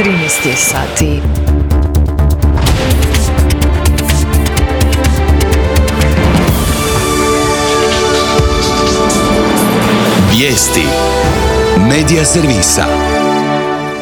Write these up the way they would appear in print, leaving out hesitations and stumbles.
13 je sati. Vijesti Medija servisa.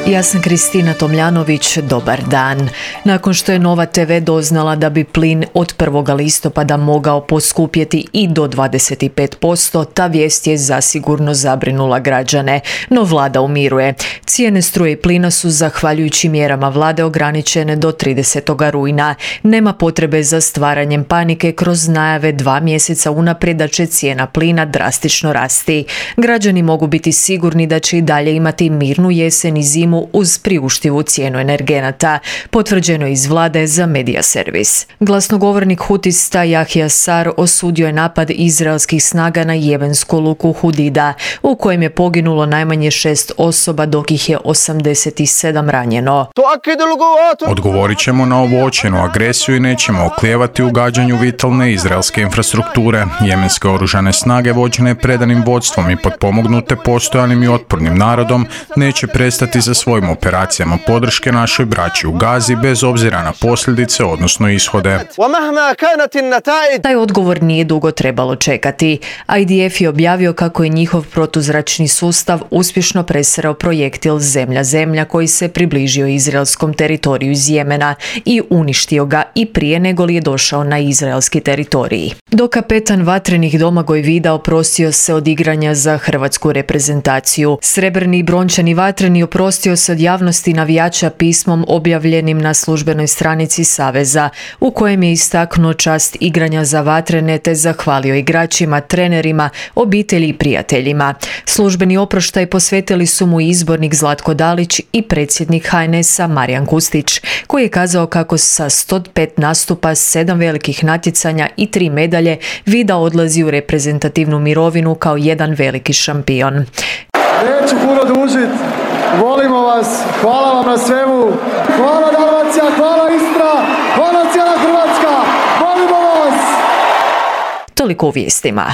Ja sam Kristina Tomljanović, dobar dan. Nakon što je Nova TV doznala da bi plin od 1. listopada mogao poskupjeti i do 25%, ta vijest je zasigurno zabrinula građane, no vlada umiruje. Cijene struje i plina su zahvaljujući mjerama vlade ograničene do 30. rujna. Nema potrebe za stvaranjem panike kroz najave 2 mjeseca unaprijed da će cijena plina drastično rasti. Građani mogu biti sigurni da će i dalje imati mirnu jesen i zimu uz priuštivu cijenu energenata, potvrđeno iz vlade za Medija servis. Glasnogovornik hutista Jahja Sar osudio je napad izraelskih snaga na jemensku luku Hudida, u kojem je poginulo najmanje 6 osoba, dok ih je 87 ranjeno. Odgovorit ćemo na ovu očajnu agresiju i nećemo oklijevati u gađanju vitalne izraelske infrastrukture. Jemenske oružane snage vođene predanim vodstvom i potpomognute postojanim i otpornim narodom neće prestati za svojim operacijama podrške našoj braći u Gazi bez obzira na posljedice, odnosno ishode. Taj odgovor nije dugo trebalo čekati. IDF je objavio kako je njihov protuzračni sustav uspješno presreo projektil zemlja-zemlja koji se približio izraelskom teritoriju iz Jemena i uništio ga i prije nego li je došao na izraelski teritorij. Dok kapetan vatrenih Domagoj Vida oprostio se od igranja za hrvatsku reprezentaciju. Srebrni i brončani vatreni oprostio se od javnosti navijača pismom objavljenim na službenoj stranici Saveza, u kojem je istaknuo čast igranja za vatrene te zahvalio igračima, trenerima, obitelji i prijateljima. Službeni oproštaj posvetili su mu izbornik Zlatko Dalić i predsjednik HNS-a Marijan Kustić, koji je kazao kako sa 105 nastupa, 7 velikih natjecanja i 3 medalje Vida odlazi u reprezentativnu mirovinu kao jedan veliki šampion. Neću puno dužit, volimo vas, hvala vam na svemu, hvala Dalmacija, hvala Istra, hvala cijela Hrvatska, volimo vas! Toliko u vijestima.